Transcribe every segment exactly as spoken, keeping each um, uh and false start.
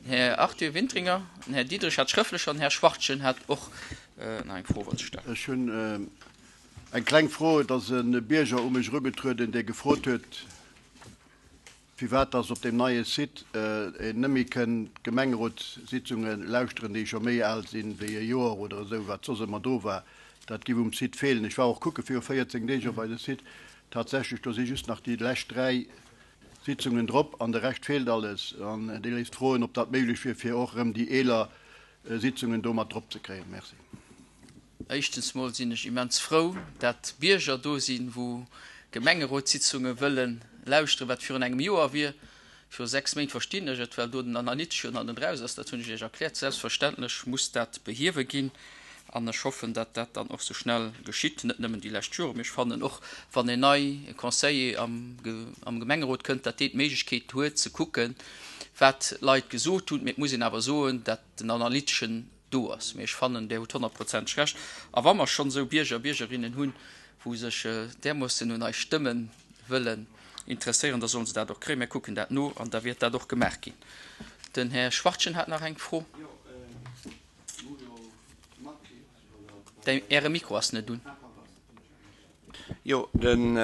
Den Här Arthur Wintringer, den Här Diderich hat schrëftlech an den Här Schwachtgen hat och nach eng Fro wollt stellen. Ech hunn eng kleng Fro. Et ass e Bierger u mech erugetrueden, dee gefrot huet, firwat dass op deem neie Site een net méi kënn d'Gemengerotssitzunge lauschteren, déi scho méi al sinn wéi e Joer oder esou, wat soss ëmmer do war. Dat giff um Site feelen. Ech war och kucke viru véierzéng Deeg op eise Site. Tatsächlech, do si just nach déi lescht dräi Sitzungen drop an de Rescht feelt alles. An dee léisst froen, ob dat méiglech wier, fir och erëm déi eeler Sitzungen do mat drop ze kréien. Merci. Éischtens mol sinn ech immens frou, dat Bierger do sinn, wou Gemengerotssitzunge wëllen lauschteren, wat virun engem Joer wier. Viru sechs Méint verstinn ech et, well do den Analytesch jo nach net eraus ass. Dat hunn ech Iech erkläert. Selbstverständlech muss dat behiewe ginn an ech hoffen, dat dat dann och sou schnell geschitt, net nëmmen déi lescht Joren. Mee ech fannen och, wann en nei Conseiller am am Gemengerot kënnt, dat deen d'Méiglechkeet huet ze kucken, wat d'Leit gesot hunn. Mee et muss een awer soen, dat den Analyteschen do ass. Mee ech fannen, Där hutt honnertprozenteg Recht. A wa mer schonn esou Bierger a Biergerinnen hunn, wou sech därmoossen un eis Stëmme wëllen interesséieren, da sollen se dat och kréien. Mir kucken dat no an da wäert dat och gemaach ginn. Den Här Schwachtgen hat nach eng Fro. Äre Mikro ass net un. Jo, den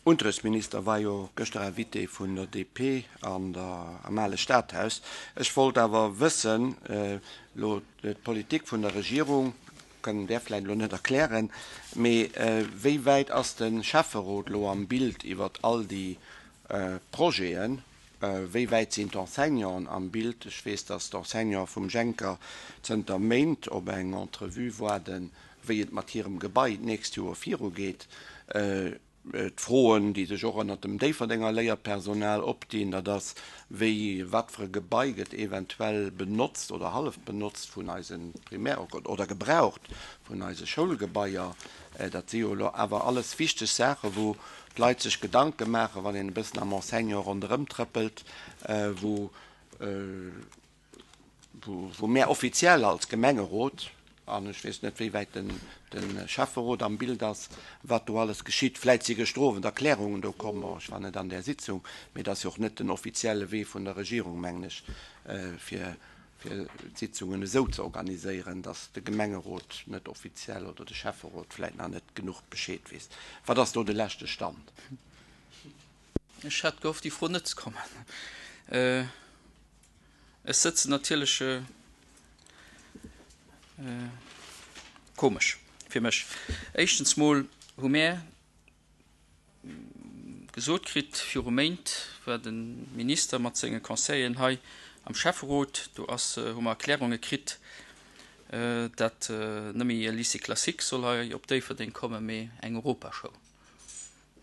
Unterrichtsminister war jo gëschter Invité vun der D P an der, am ale Stadhaus. Ech wollt awer wëssen, elo d'Politik vun der Regierung, kënnen där vläicht elo net erklären, mee wéi wäit ass de Schäfferot elo am Bild iwwert all déi Projeten? Wéi wäit sinn d'Enseignanten am Bild? Ech weess, datt d'Enseignante vum Jenker zënter Méint op eng Entrevue waarden, wéi et mat hirem Gebai d'nächst Joer virugeet. D'Froen, déi sech och ënnert dem Déifferdenger Léierpersonal opdinn, dat ass, wéi, wat fir e Gebai gëtt eventuell benotzt oder hallef benotzt vun eise Primär oder gebraucht vun eise Schoulgebaier. Dat si jo elo awer alles wichteg Saachen, wou d'Leit sech Gedanke maachen, wann een e bëssen am Enseignant ronderëm trëppelt, wou wou mär offiziell als Gemengerot, an ech weess net, wéi wäit den de Schäfferot am Bild ass, wat do alles geschitt. Vläit si gëschter Owend Erklärungen do komm, bon, ech war net an där Sitzung, mee et ass jo och net den offizielle Wee vun der Regierung, mengen ech, fir fir d'Sitzungen esou ze organiséieren, datt de Gemengerot net offiziell oder de Schäfferot vläit nach net genuch Bescheed weess. Wat ass do de leschte Stand? Ech hat gehofft, déi Fro net ze kommen. Ech sëtzen natierlech komesch fir mech. Éischtens mol hu mär gesot kritt, viru Méint war de Minister mat senge Conseilleren hei am Schäfferot, do ass, hu mer Erklärunge kritt, dat net méi e Lycée classique soll hei op Déifferdeng kommen, mee eng Europaschoul,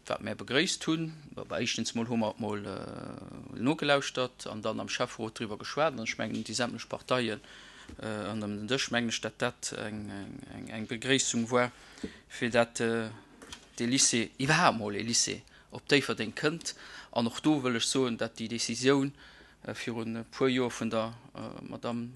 wat mär begréisst hunn. Bah, éischtens mol hu mer mol nogelauschtert an dann am Schäfferot driwwer geschwat an ech mengen, déi sämtlech Parteien ënner den Dësch, mengen ech, dat dat eng, eng, eng Begréissung war, fir dat dee Lycée, iwwerhaapt mol ee Lycée op Déifferdeng kënnt. An och do wëll ech soen, dat déi Décisioun virun e puer Joer vun der Madame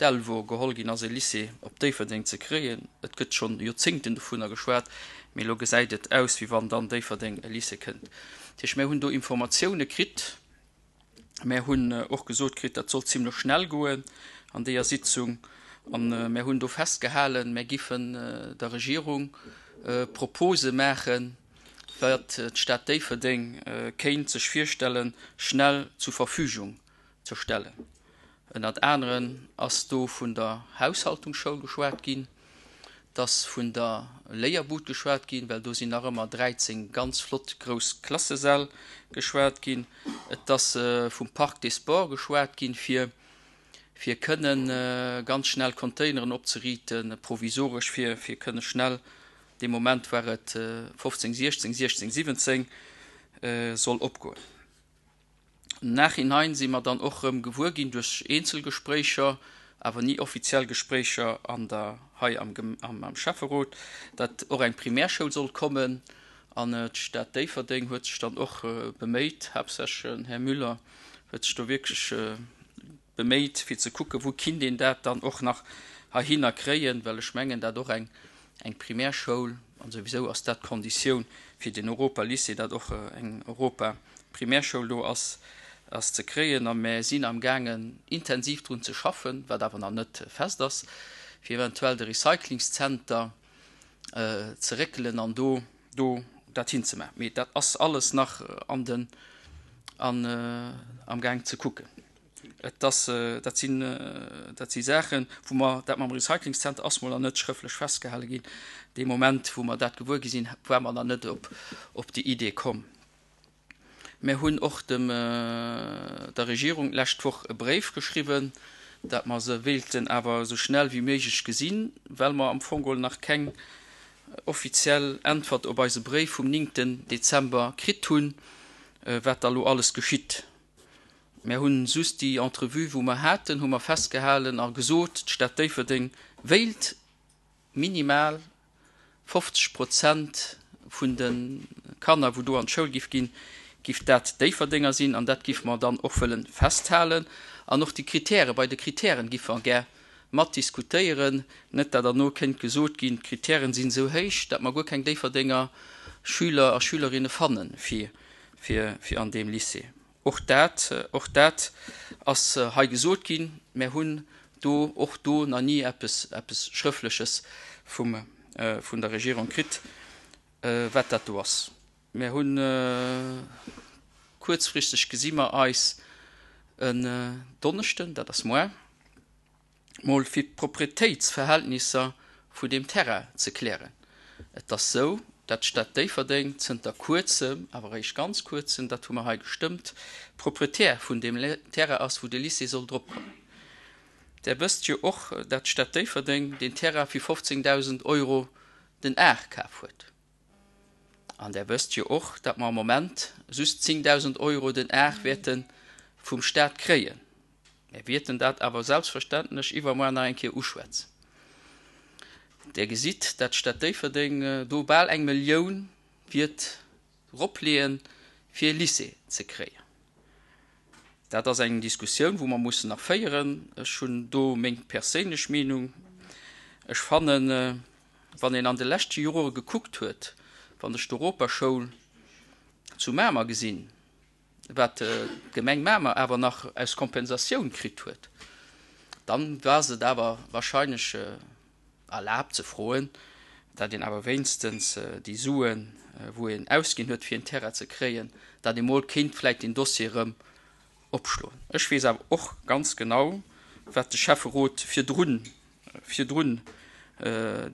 Delvaux geholl ginn ass, e Lycée op Déifferdeng ze kréien. Et gëtt schonn Joerzéngten dovunner geschwat, mee elo gesäit et aus, wéi wann dann Déifferdeng e Lycée kënnt. Dat heescht, mir hunn do Informatioune kritt. Mär hunn och gesot kritt, dat sollt zimlech schnell goen an deeër Sitzung. An mär hunn do festgehalen, mär giffen der Regierung Propose maachen, wat d'Stad Déifferdeng kéint sech virstellen, schnell zur Verfügung ze stellen. Ënnert aneren ass do vun der Haushaltungsschoul geschwat ginn, et ass vun der Léierbud geschwat ginn, well do sinn nach ëmmer dräizéng ganz flott grouss Klassesäll geschwat ginn, et ass vum Parc des Sports geschwat ginn, fir fir kënnen ganz schnell Containeren opzeriiten, provisoresch, fir fir kënne schnell, dee Moment war et fofzéng, siechzéng, siechzéng, siwwenzéng, soll opgoen. Im Nachhinein si mer dann och erëm gewuer ginn duerch eenzel Gespréicher, awer ni offiziell Gespréicher an der, hei am, am Schäfferot, datt och eng Primärschoul sollt kommen. An d'Stad Déifferdeng huet sech dann och beméit, haaptsächlech den Här Müller huet sech do wierklech beméit, fir ze kucken, wou kinnt een dat dann och nach heihinner kréien, well ech mengen, dat och eng, eng Primärschoul, an souwisou ass dat d'Konditioun fir den Europa-Lycée, datt och eng Europa-Primärschoul do ass, ass ze kréien a mär sinn am gaangen intensiv drun ze schaffen, wat awer nach net fest ass, fir eventuell de Recyclingszenter ze réckelen an do do dat hinzemaachen. Mee dat ass alles nach an den an am Gaang ze kucken. Et ass, dat sinn, dat si Saachen, wou mer, dat mam Recyclingszenter ass mol nach net schrëftlech festgehale ginn. Dee Moment, wou mer dat gewuer gi sinn, ware mer nach net op, op déi Idee komm. Mir hunn och dem, der Regierung d'lescht Woch e Bréif geschriwwen, dat mer se wéilten awer esou schnell wéi méiglech gesinn, well mer am Fong geholl nach keng offiziell Äntwert op eise Bréif vum néngten Dezember kritt hunn, wat da lo alles geschitt. Mär hunn just déi Entrevue, wou mer haten, hu mer festgehalen a gesot, d'Stad Déifferdeng wéilt minimal fofzeg Prozent vun de Kanner, wou do an d'Schoul giff ginn, giff dat Déifferdenger sinn. An dat giffe mer dann och wëlle festhalen. An och déi Kritäre, bei de Kritären giffe mer gär mat diskutéieren, net dat derno kéint gesot ginn, d'Kritären sinn esou héich, dat mer guer keng Déifferdenger Schüler a Schülerinne fanne fir, fir, fir an deem Lycée. Och dat, och dat ass hei gesot ginn. Mär hunn do och do nach ni eppes, eppes Schrëffleches vum, vun der Regierung kritt, wat dat do ass. Mär hunn, kuerzfristeg gesi mer eis en Donneschden, dat ass moar, mol fir d'Proprietéitsverhältnisser vun deem Terrain ze klären. Et ass sou, dat d'Stad Déifferdeng zënter kuerzem, awer eréischt ganz kuerzem, dat hu mer hei gestëmmt, Proprietär vun deem Terrain ass, wou de Lycée soll drop kommen. Der wësst jo och, dat d'Stad Déifferdeng deen Terrain fir fofzéngdausend Euro den Ar kaf huet. An Der wësst jo och, dat mer am Moment just zéngdausend Euro den Ar wäerte vum Stat kréien. Mir wierten dat awer selbstverständlech iwwermuer nach eng Kéier uschwätzen. Der gesitt, dat d'Stad Déifferdeng do bal eng Millioun wiert eropleeën, fir e Lycée ze kréien. Dat ass eng Diskussioun, wou mer mussen nach féieren. Ech hunn do meng perséinlech Meenung. Ech fannen, wann een an de leschte Jore gekuckt huet, wann ech d'Europaschoul zu Mamer gesinn, wat d'Gemeng Mamer awer nach aus Kompensatioun kritt huet, dann war et awer wahrscheinlech erlaabt ze froen, dat een awer wéinstens déi Suen, wou een ausginn huet, fir en Terrain ze kréien, dat ee mol kéint vläicht deen Dossier erëm opschloen. Ech weess awer och ganz genau, wat de Schäfferot virdrun, virdrun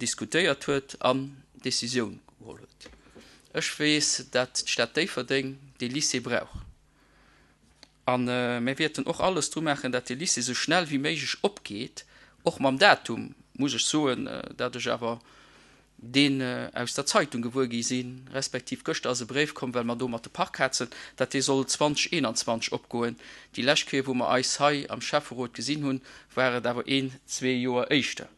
diskutéiert huet an Décisioun geholl huet. Ech weess, dat d'Stad Déifferdeng dee Lycée brauch. A mir wäerten och alles dru maachen, dat dee Lycée esou schnell wéi méiglech opgeet, och mam Datum, muss ech soen, dat ech awer deen aus der Zeitung gewuer gi sinn, respektiv gëschter ass e Bréif komm, well mer do mat de Parkhazen, dat dee soll zweedausendeenanzwanzeg opgoen. Déi lescht Kéier, wou mer eis hei am Schäfferot gesinn hunn, war et awer een, zwee Joer éischter.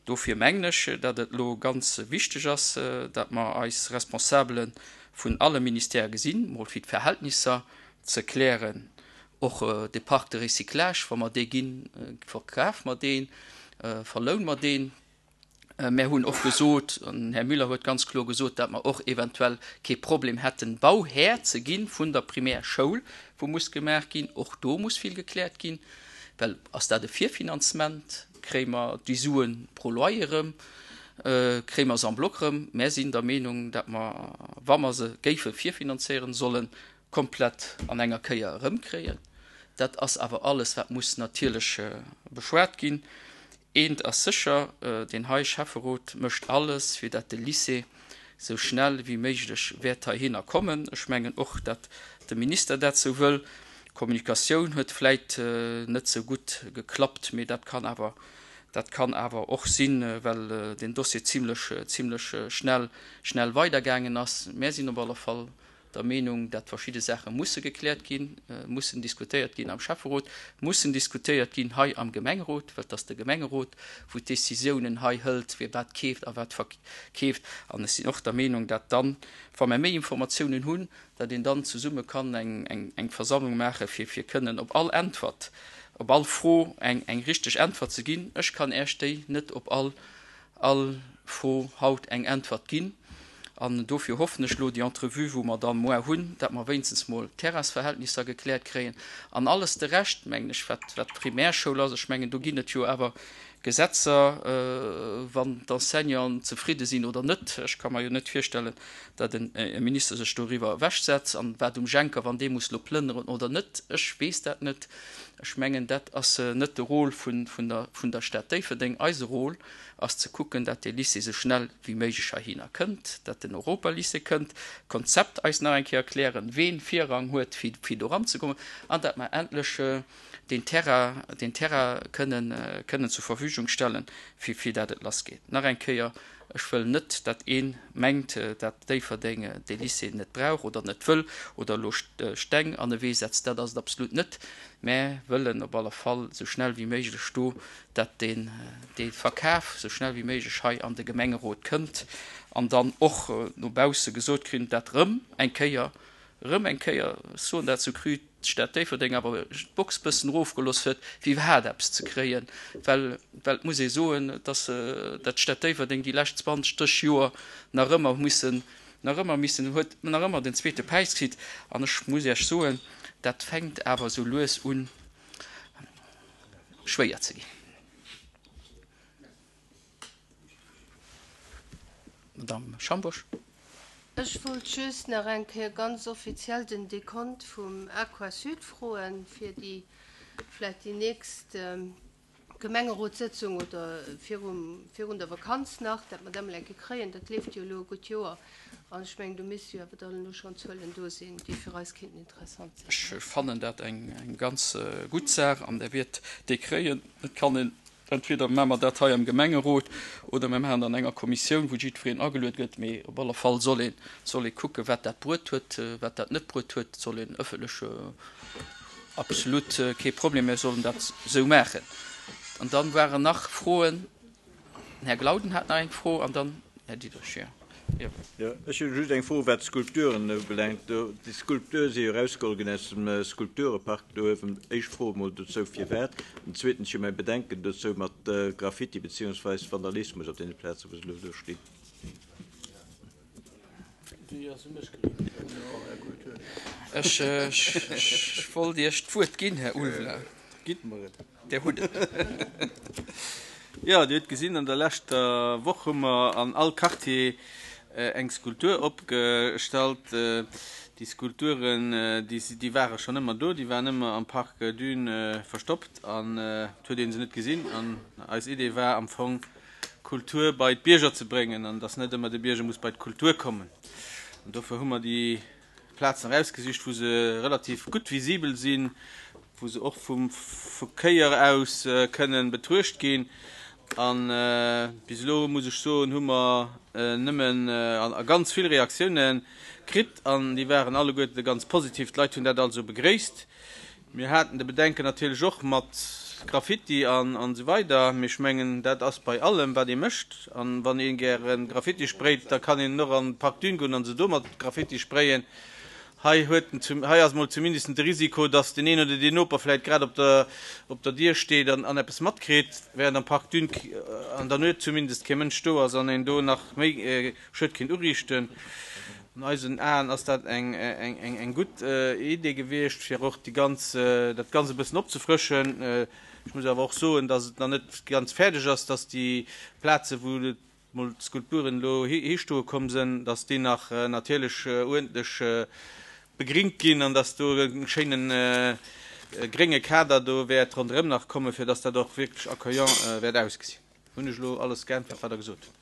Dofir mengen ech, datt et elo ganz wichteg ass, datt mer eis Responsabele vun alle Ministèrë gesinn, mol fir d'Verhältnisser ze klären, och de Parc de recyclage, wa mer dee ginn, verkafe mer deen, verloune mer deen. Mär hunn och gesot, an den Här Müller huet ganz kloer gesot, datt mer och eventuell kee Problem hätten, Bauhär ze gi vun der Primärschoul, wou muss gemaach ginn. Och do muss vill gekläert ginn, well ass dat e Virfinanzement? Kréie mer déi Sue pro Loyer erëm? Kréie mer se en bloc erëm? Mär sinn der Meenung, datt mer, wa mer se géife virfinanzéieren, sollen komplett an enger Kéier erëmkréien. Dat ass awer alles, wat muss natierlech beschwat ginn. Eent ass sécher, deen hei Schäfferot mécht alles, fir dat de Lycée sou schnell wéi méiglech wäert heihinner kommen. Ech mengen och, dat de Minister dat sou wëll. D'Kommunikatioun huet vläit net sou gutt geklappt, mee dat kann awer, dat kann awer och sinn, well deen Dossier zimlech, zimlech schnell, schnell weidergaangen ass. Mär sinn op alle Fall der Meenung, dat verschidde Saache musse gekläert ginn, mussen diskutéiert ginn am Schäfferot, mussen diskutéiert ginn hei am Gemengerot, well et ass de Gemengerot, wou d'Décisiounen hei hëlt, wie wat keeft a wat verkeeft. An ech sinn och der Meenung, dat dann, wa mer méi Informatiounen hunn, dat een dann zesumme kann eng Versammlung maache fir fir kënnen op all Äntwert, op all Fro eng eng richteg Äntwert ze ginn. Ech kann Äech déi net op all all Fro haut eng Äntwert ginn. An dofir hoffen ech elo, déi Entrevue, wou mer dann muer hunn, dat mer wéinstens mol d'Terrainsverhältnisser gekläert kréien. An alles de Rescht, mengen ech, wat, wat d'Primärschoul ass, ech mengen, do ginn et jo awer Gesetzer, wann d'Enseignanten zefridde sinn oder net. Ech ka mer jo net virstellen, datt e Minister sech doriwwer ewechsetzt. An wat um Jenker, wann dee muss elo plënneren oder net, ech weess dat net. Ech mengen, dat ass net de Rôle vun, vun der, vun der Stad Déifferdeng. Eise Rôle ass ze kucken, datt dee Lycée esou schnell wéi méiglech heihinner kënnt, datt den Europalycée kënnt, d'Konzept eis nach eng Kéier erklären, ween Virrang huet, fir, fir do eranzekommen, an datt mer endlech deen Terrain, deen Terrain kënnen, kënnen zur Verfügung stellen, fir, fir dat et lassgeet. Nach eng Kéier, ech wëll net, dat ee mengt, dat Déifferdeng dee Lycée net brauch oder net wëll oder elo Steng an e Wee setzt. Dat ass et absolut net. Mä wëllen op alle Fall esou schnell wéi méiglech do, dat deen, dee Verkaf esou schnell wéi méiglech hei an de Gemengerot kënnt an dann och no bausse gesot kritt, dat rëm eng Kéier, rëm eng Kéier, ech soen dat sou cru, d'Stad Déifferdeng awer d'Box bëssen erofgelooss huet, fir iwwerhaapt eppes ze kréien, well, well et muss ee soen, dass dat d'Stad Déifferdeng déi lescht zwanzeg, drësseg Joer nach ëmmer mussen, nach ëmmer missen huet, nach ëmmer den zweete Päis kritt. An ech muss Iech soen, dat fänkt awer sou lues un schwéier ze ginn. Madame Schambourg. Ech wollt just nach eng Kéier ganz offiziell den Dekont vum Aquasud froen, fir déi vläicht déi nächst Gemengerotssëtzung oder virum, virun der Vakanz nach, dat mer dat emol eng Kéier kréien. Dat leeft jo elo e gutt Joer an ech mengen, do misste jo awer dann elo schonn Zuelen do sinn, déi fir eis kéinten interessant sinn. Ech fannen dat eng, eng ganz gutt Saach an Der wiert déi kréien. Et kann een Entweder maache mer dat hei am Gemengerot oder mir maachen dat an enger Kommissioun, wou jiddwereen ageluet gëtt. Mee op alle Fall soll ee, soll ee kucken, wat dat bruet huet, wat dat net bruet huet. Soll een ëffentlech, absolut kee Problem, mir sollen dat esou maachen. An dann waren nach Froen. Den Här Glauden hat nach eng Fro an dann Här Diderich, jo. Jo, ech hunn just eng Fro, wat d'Skulpturen ubelaangt. Do, déi Skulpture si jo erausgeholl ginn aus dem Skulpturepark do uewen. Éischt Fro emol dozou, firwat? An zweetens, ech hu mäi Bedenken dozou mat Graffiti beziehungsweis Vandalismus op deene Plazen, wou se elo do stinn. Ech wollt Iech d'Wuert ginn, Här Ulveling. Gitt mer et. Dir hutt et. Jo, Dir hutt gesinn, an der leschter Woch hu mer an all Quartier eng Skulptur opgestallt. Déi Skulpturen, déi ware schonn ëmmer do, déi waren ëmmer am Parc Dune verstoppt an et huet ee se net gesinn. An eis Idee war am Fong, Kultur bei d'Bierger ze bréngen an dass net ëmmer de Bierger muss bei d'Kultur kommen. An dofir hu mer déi Plazen erausgesicht, wou se relativ gutt visibel sinn, wou se och vum Verkéier aus kënnen betruecht ginn. A bis elo, muss ech soen, hu mer nëmmen a ganz vill Reaktiounen kritt an déi waren alleguerte ganz positiv. D'Leit hunn dat also begréisst. Mir haten de Bedenken natierlech och mat Graffiti an esou weider, mee ech mengen, dat ass bei allem, wat ee mécht. A wann ee gäre Graffiti sprayt, da kann een och an d'Park Dune goen a se do mat Graffiti sprayen. Hei huet en zum, hei ass mol zumindest de Risiko, dass deen een oder deen Noper vläicht grad op der, op der Dier steet an, an eppes matkritt, während am Park Dune an der Nuet zumindest kee Mënsch do ass an een do nach méi Schued kéint uriichten. An eisen Aen ass dat eng, eng, eng, eng gutt Idee gewiescht, fir och déi ganz, dat Ganzt e bëssen opzefrëschen. Ech muss awer och soen, dass et nach net ganz fäerdeg ass, dass déi Plaze wou et mol d'Skulpturen elo histoe komm sënn, dass déi nach natierlech uerdentlech begringt ginn an dass do e schéine grénge Kader do wäert ronderëm nach kommen, fir dass dat och wierklech accueillant wäert ausgesinn. Hunn ech elo alles geäntwert, wat Der gesot hutt?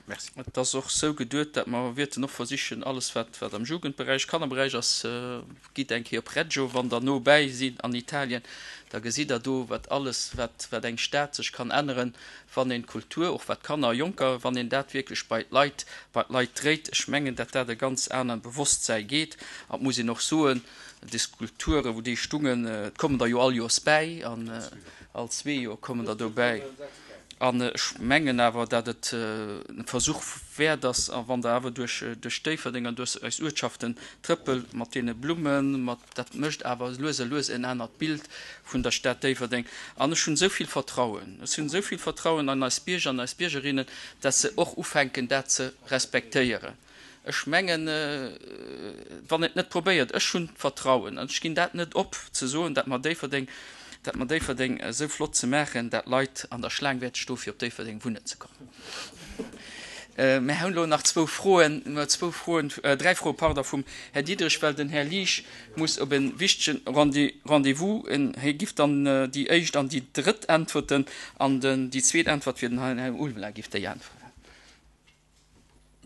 Merci. Et ass och esou geduet, dat mer wierten och versichen, alles wat wat am Jugendberäich, Kannerberäich ass, gitt eng Kéier op Reggio, wann Der no bäi sidd an Italien, da gesitt Der do, wat alles, wat wat eng Stad sech kann änneren, wann een d'Kultur, och wat Kanner a Jonker, wann een dat wierklech bei d'Leit, bei d'Leit dréit. Ech mengen, dat dat e ganz anert Bewosstsäi geet. An et muss een och soen, déi Skulpturen, wou déi stungen, et kommen der jo all Joers bäi, an all zwee Joer kommen der dobäi. An ech mengen awer, datt et e Versuch wäert ass, a wann Der awer duerch, duerch Déifferdeng an duerch eis Uertschaften trëppelt, mat deene Blummen, mat, dat mécht awer lues a lues en anert Bild vun der Stad Déifferdeng. An ech hunn esou vill Vertrauen, ech hunn esou vill Vertrauen an eis Bierger an eis Biergerinnen, datt se och ufänken, dat ze respektéieren. Ech mengen, wann een et net probéiert, ech hunn d'Vertrauen an ech ginn dat net op, ze soen, dat mer Déifferdeng, dat mer Déifferdeng esou flott ze maachen, dat Leit an der Schlaang wäerte stoe fir op Déifferdeng wunnen ze kommen. Mir hunn elo nach zwou Froen, zwou Froen, dräi Froe, pardon, vum Här Diderich, well den Här Liesch muss op e wichtege Rendez-vous. Hie giff dann déi éischt an déi drëtt äntwerten an déi zweet Äntwert fir den Här Ulveling giff déi äntweren.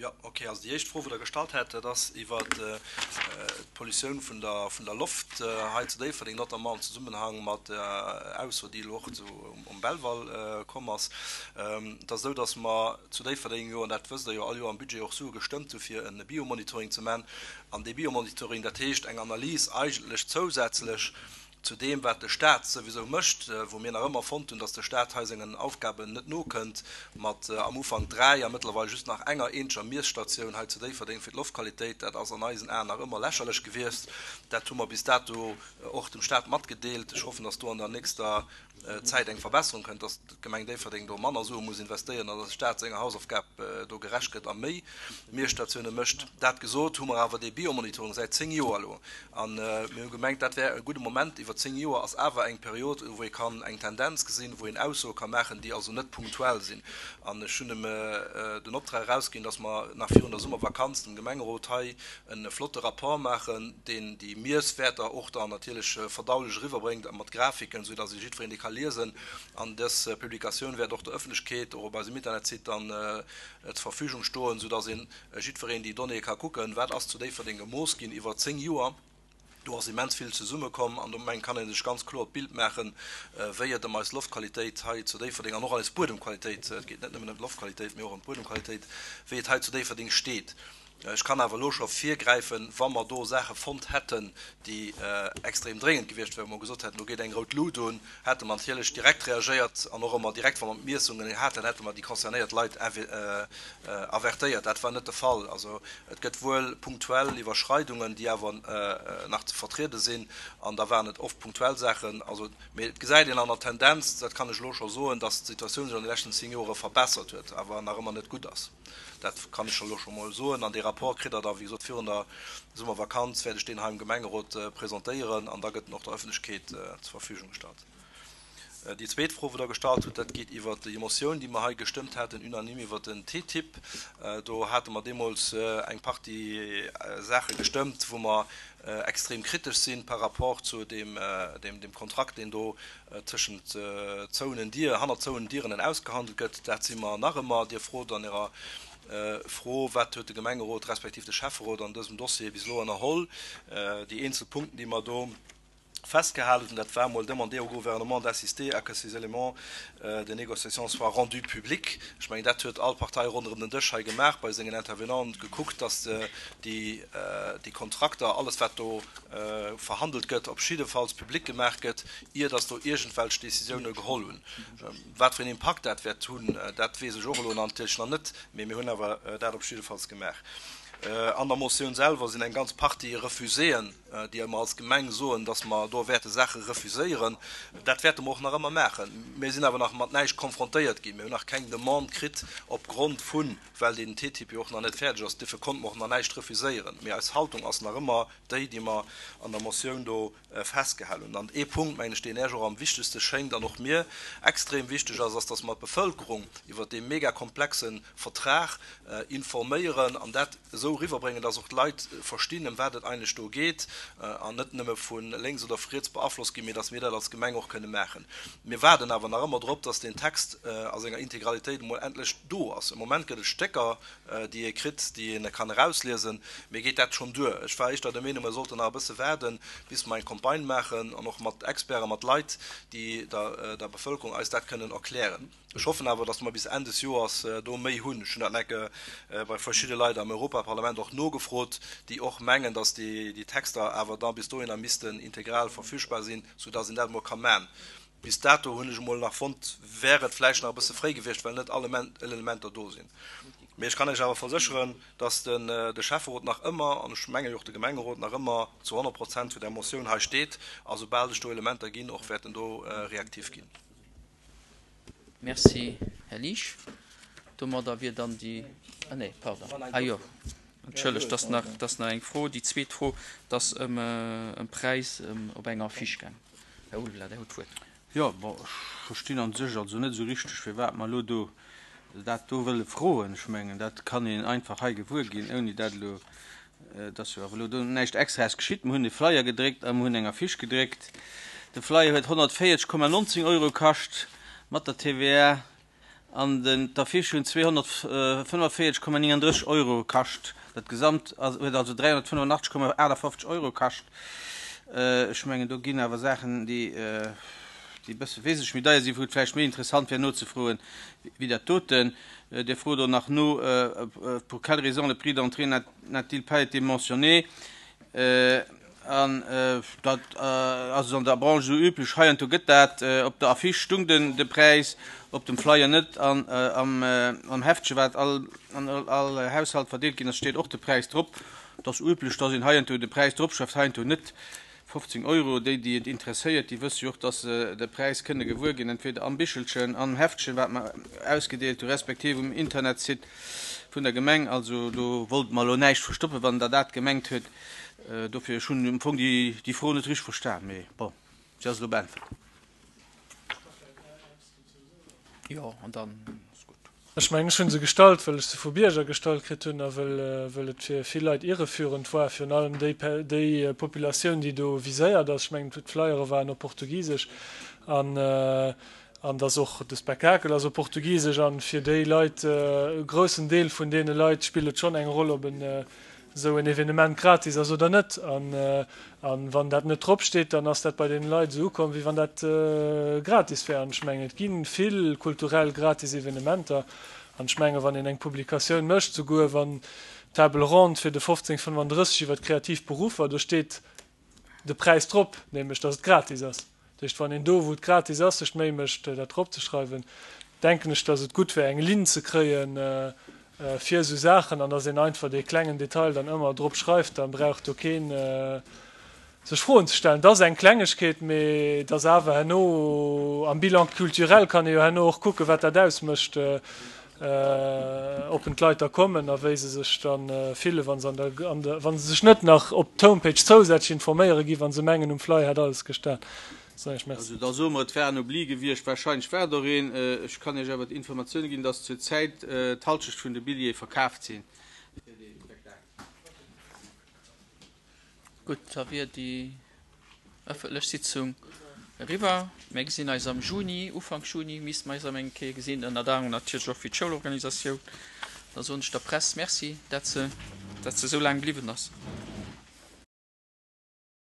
Jo, okay. Also déi éischt Fro, wou Der gestallt hat, dat ass iwwer d'Pollutioun vun der, vun der Loft hei zu Déifferdeng, notamment am Zesummenhang mat der Ausso, déi elo och zu, um Belval komm ass. Et ass esou, datt mer zu Déifferdeng jo, an dat wësst Der jo, all Joer am Budget och Sue gestëmmt hu fir e Biomonitoring ze man. An dee Biomonitoring, dat heescht eng Analys eigentlech zousätzlech zu deem, wat de Stat souwisou mécht, wou mir nach ëmmer fonnt hunn, datt de Stat hei sengen Aufgaben net nokënnt, mat am Ufank dräi a mëttlerweil just nach enger eenzeger Miesstatioun hei zu Déifferdeng fir d'Loftqualitéit. Dat ass an eisen Aen nach ëmmer lächerlech gewiescht. Dat hu mer bis dato och dem Stat matgedeelt. Ech hoffen, datt do an der nächster Zäit eng Verbesserung kënnt, dass d'Gemeng Déifferdeng do manner Sue muss investéieren an dass de Staat senger Hausaufgab do gerecht gëtt a méi Miesstatioune mécht. Dat gesot, hu mer awer dee Biomonitoring säit zéng Joer elo a mir hu gemengt, dat wär e gudde Moment. Iwwer zéng Joer ass awer eng Period, wou ee kann eng Tendenz gesinn, wou een Aussoe ka maachen, déi also net punktuell sinn. An ech hunn em den Optrag erausginn, dass mer nach virun der Summervakanz dem Gemengerot hei e flotte Rapport maachen, deen déi Miesswäerter och dann natierlech verdaulech eriwwerbréngt a mat Grafiken, esou dass ee jiddwereen déi ka liesen. An dës Publikatioun wäert och der Ëffentlechkeet och op eisem Internetsite dann zur Verfügung stoen, esou dass een jiddwereen déi Donnéeë ka kucken, wat ass zu Déifferdeng gemooss ginn iwwer zéng Joer. Do ass immens vill zesummekomm an do meng kann ee sech ganz kloer d'Bild maachen, wéi et ëm eis Loftqualitéit hei zu Déifferdeng an och eis Buedemqualitéit, et geet net nëmmen ëm d'Loftqualitéit, mee och ëm d'Buedemqualitéit, wéi et hei zu Déifferdeng steet. Ech kann awer elo scho virgräifen, wa mer do Saache fonnt hätten, déi extrem dréngend gewiescht wären, wou mer gesot hätten, do geet eng rout Lut un, hätte mer natierlech direkt reagéiert an och ëmmer direkt, wa mer d'Miessungen haten, hätte mer déi concernéiert Leit avertéiert. Dat war net de Fall. Also et gëtt wuel punktuell Iwwerschreidungen, déi awer nach ze vertriede sinn, an da waren et oft punktuell Saachen. Also, mee et gesäit een an der Tendenz, dat kann ech elo scho soen, dass d'Situatioun sech an de leschten zéng Jore verbessert huet, awer nach ëmmer net gutt ass. Dat kann ech elo scho mol soen. An dee Rapport kritt Der da, wéi gesot, virun der Summervakanz wäert ech deen hei am Gemengerot presentéieren an da gëtt en och der Ëffentlechkeet zur Verfügung gestallt. Déi zweet Fro, wou Der gestallt hutt, dat geet iwwert déi Motioun, déi mer hei gestëmmt haten, unanime iwwert den TTIP. Do hate mer deemools eng Partie Saache gestëmmt, wou mer extrem kritesch si par rapport zu deem Kontrakt, deen do tëschent zouenen Dier, hannert zouenen Dieren ausgehandelt gëtt. Dat si mer nach ëmmer. Dir frot an Ärer Fro, Wat huet de Gemengerot respektiv de Schäfferot an dësem Dossier bis elo ënnerholl? Déi eenzel Punkten, déi mer do festgehalen hunn, dat war emol demander au gouvernement d'assister à que ces éléments de négociation soient rendus publics. Ech mengen, dat huet all Partei ronderëm den Dësch hei gemaach, bei sengen Intervenanten gekuckt, dass déi Kontrakter, alles wat do verhandelt gëtt, op jiddefalls public gemaach gëtt, ier dass do iergendwelch Décisioune geholl hunn. Wat fir een Impakt dat wäert hunn, dat weess ech och elo natierlech nach net, mee mir hunn awer dat op jiddefalls gemaach. An der Motioun selwer sinn eng ganz Partie Refuséen, déi mer als Gemeng soen, dass mer do wäerte Saache refuséieren. Dat wäerte mer och nach ëmmer maachen. Mir sinn awer nach mat näischt konfrontéiert ginn. Mir hunn nach keng Demande kritt opgrond vun, well deen TTIP jo och nach net fäerdeg ass. Duerfir konnte mer och nach näischt refuséieren. Mee eis Haltung ass nach ëmmer déi, déi mer an der Motioun do festgehal hunn. An ee Punkt, mengen ech, deen Iech och am wichtegste schéngt an och mir extrem wichteg ass, ass, dass mer d'Bevölkerung iwwert dee mega komplexe Vertrag informéieren an dat esou eriwwerbréngen, dass och d'Leit verstinn, ëm wat et eigentlech do geet an net nëmme vu lénks oder vu riets beaflosst ginn, mee dass mir dat als Gemeng och kënne maachen. Mir waarden awer nach ëmmer drop, dass deen Text a senger Integralitéit emol endlech do ass. Am Moment gëtt et Stécker, déi ee kritt, déi ee kann erausliesen. Mir geet dat schonn duer. Ech war éischter der Meenung, mir sollten nach e bësse waarden, bis mer eng Campagne maachen an och mat Experten, mat Leit, déi der Bevëlkerung eis dat kënnen erklären. Ech hoffen awer, datt mer bis Enn des Joers do méi hunn. Ech hunn dat enke bei verschidde Leit am Europaparlament och nogefrot, déi och mengen, datt déi Texter awer da bis dohinner missten integral verfügbar sinn, soudatt een dat emol ka man. Bis dato hunn ech emol nach fonnt, wär et vläicht nach e bësse fréi gewiescht, well net all Elementer do sinn. Mee ech kann Iech awer versécheren, dass de Schäfferot nach ëmmer, an ech menge jo och de Gemengerot, nach ëmmer zu honnert Prozent zu där Motioun hei steet a soubal sech do Elementer ginn, och wäerten do reaktiv ginn. Merci, Här Liesch. Domadder wier dann déi, ah nee, pardon, ah jo, Entschëllegt, dass nach, dass nach eng Fro, déi zweet Fro, dass ëm ëm Präis op enger Affiche gaang. Här Ulveler, Der hutt d'Wuert. Jo, bon, ech verstinn an sech also net esou richteg, firwat mer elo do dat do wëlle froen. Ech mengen, dat kann een einfach hei gewuer ginn, ouni dat elo, et ass jo awer elo do näischt Extraes geschitt. Mer hunn e Flyer gedréckt a mer hunn eng Affiche gedréckt. De Flyer huet honnertvéierzeg Komma nonzéng Euro kascht mat der T V A an den d'Affiche hunn zweehonnertfënnefvéierzeg Komma nénganddrësseg Euro kascht. Dat Gesamt huet also dräihonnertfënnefanachteg Komma aachtafofzeg Euro kascht. Ech mengen, do ginn awer Saachen, déi déi e bësse wesentlech méi deier sinn, wou et vläicht méi interessant wär nozefroen, wéi dat doten. Dir frot och nach no, Pour quelle raison le prix d'entrée n'a-t-il pas été mentionné? An dat ass an der Branche esou üblech. Heiansdo gëtt dat, op der Affiche stung den de Präis, op dem Flyer net. An am Heftche, wat all an all Haushalt verdeelt ginn ass, steet och de Präis drop. Et ass üblech, dass een heiansdo de Präis dropschreift, heiansdo net. fofzéng Euro. Déi, déi et interesséiert, déi wësse jo och, dass se de Präis kënne gewuer ginn, entweder am Bichelchen, am Heftchen, wat mer ausgedeelt hu, respektiv um Internetsite vun der Gemeng. Also do wollte mer elo näischt verstoppen, wann Der dat gemengt huet. Dofir, ech hunn am Fong déi Fro net richteg verstan, mee bon, se ass elo beäntwert. Jo, an dann ass gutt. Ech mengen, ech hu se gestallt, well ech se vu Bierger gestallt kritt hunn a well et fir vill Leit irreführend war, virun allem déi déi Populatioun, déi do viséiert ass. Ech mengen, d'Flyere waren op Portugisesch an an dass och de Spektakel ass op Portugisesch an fir déi Leit, e groussen Deel vun deene Leit spillt et schonn eng Roll, ob en esou en Evenement gratis ass oder net. An wann dat net drop steet, dann ass dat bei deene Leit esou ukomm, wéi wann dat gratis wär. An ech mengen, et gi vill kulturell gratis Evenementer. An ech mengen, wann een eng Publikatioun mécht, souguer wann d'Table ronde fir de fofzéng fënnefandrësseg iwwer d'kreativ Beruffer, do steet de Präis drop, nämlech datt et gratis ass. Dat heescht, wann een do, wou et gratis ass, sech d'Méi mécht, dat drop ze schreiwen, denken ech, datt et gutt wär, eng Linn ze kréien fir esou Saachen an datt een einfach dee klengen Detail dann ëmmer drop schreift. Da brauch do keen sech Froen ze stellen. Et ass eng Klengegkeet, mee et ass awer herno am Bilan culturel kann ee jo herno och kucken, wat dat ausmécht, ob en d'Leit da kommen a wéi se sech da fillen, wa se an der, an der, wa se sech net nach op d'Homepage zousätzlech informéiere gi, wa se mengen, um Flyer hätt alles gestan. Soen ech Merci. Also da soe mer, et war en Oubli gewiescht. Wahrscheinlech war et och een. Ech kann Iech awer d'Informatioune ginn, dass zur Zäit d'Halschecht vun de Billjeeë verkaaft sinn fir dee Spektakel. Gutt, da wier déi ëffentlech Sitzung eriwwer. Mir gesinn eis am Juni, Ufank Juni misste mer eis erëm eng Kéier gesinn, ënnert anerem natierlech och fir d'Schoulorganisatioun. Da soen ech der Press Merci, dat se, dat se esou laang bliwwen ass.